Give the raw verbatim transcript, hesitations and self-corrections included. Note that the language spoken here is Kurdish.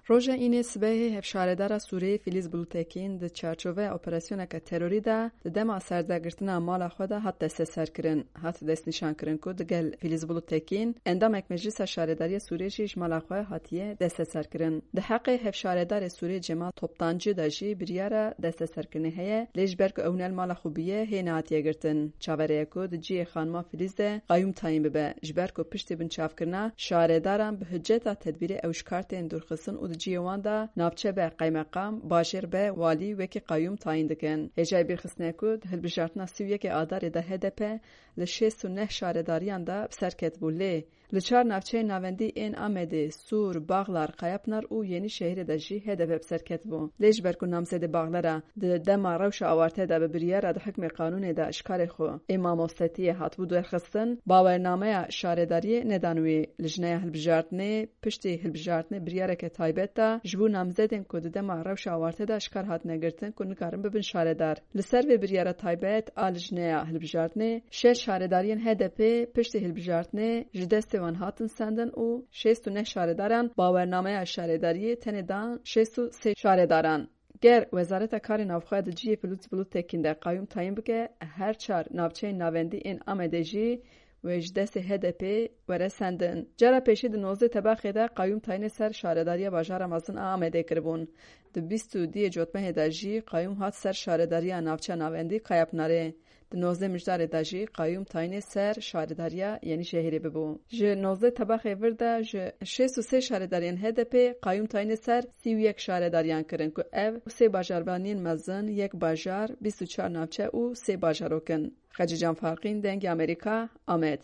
Roja Înê sibehê hevşaredara Sûriyê Fîlîz Bulûtekîn di çarçoveya operasyoneke terorî de di dema serdegirtina mala xwe de hat desteserkirin. Hat destnîşankirin ku digel Fîlîz Bulûtekîn endamek Meclisa Şaredariya Sûriyê jî ji mala xwe hatiye desteserkirin. Di heqê hevşaredarê Sûriyê Cemal Toptancî de jî biryara desteserkirinê heye, lê ji ber ku ew ne li mala xwe bûye, hê nehatiye girtin. Çaverê ye ku di cihê xanima Fîlîz de qayûm tayîn bibe, ji ber ku piştî binçavkirina şaredaran bi hiceta tedbîrê ew ji kar tên dûrxistin û di cihê wan de navçe be qeymeqam, bajêr be walî wekî qayûm tayîn dikin. Hêjayî bîrxistinê ye ku di hilbijartina sî û yekê Adarê de H D P li şêst û neh şaredariyan de bi ser ketibû, lê li çar navçeyên navendî ên Amedê, Sûr, Baxlar, Qayapınar û Yenîşehîrê de jî H D P bi ser ketibû. Lê ji ber ku namzedê Baxlara di dema rewşa awarte de bi biryara di hikmê qanûnê de ji karê xwe ê mamostetiyê hatibû derxistin, bawernameya şaredariyê nedan wî. Lijneya hilbijartinê piştî hilbijartinê biryareke taybet da ji bo namzedên ku di dema rewşa awarte de ji kar hatine girtin ku nikarin bibin şaredar. Li ser vê biryara taybet a lijneya hilbijartinê, şeş şaredariyên H D P piştî hilbijartinê ji destê wan hatin sendin û şêst û neh şaredaran bawernameya şaredariyê tenê dan şêst û sê şaredaran. Ger Wezareta Karê Navxwe di cihê Fîlîz Bulûtekîn de qayûm tayîn bike, her çar navçeyên navendî ên Amedê jî wê ji destê H D P were sendin. Cara pêşî di nozdeh Tebaxê de qayûm tayînê ser şaredariya bajara mezin a Amedê kiribûn. Di bîst û duyê Cotmehê de jî qayûm hat ser şaredariya navçeya navendî Kayapınarê. Di nozdeh Mijdarê de jî qayûm tayînê ser şaredariya Yenîşehîrê bibû. Ji nozdeh Tebaxê vir de ji şêst û sê şaredariyên H D P qayûm tayînê ser sî û yek şaredariyan kirin ku ev sê bajarvaniyên mezin, yek bajar, bîst û çar navçe û sê bajarok in. Xecîcan Farqîn, Dengê Amerîka, Amed.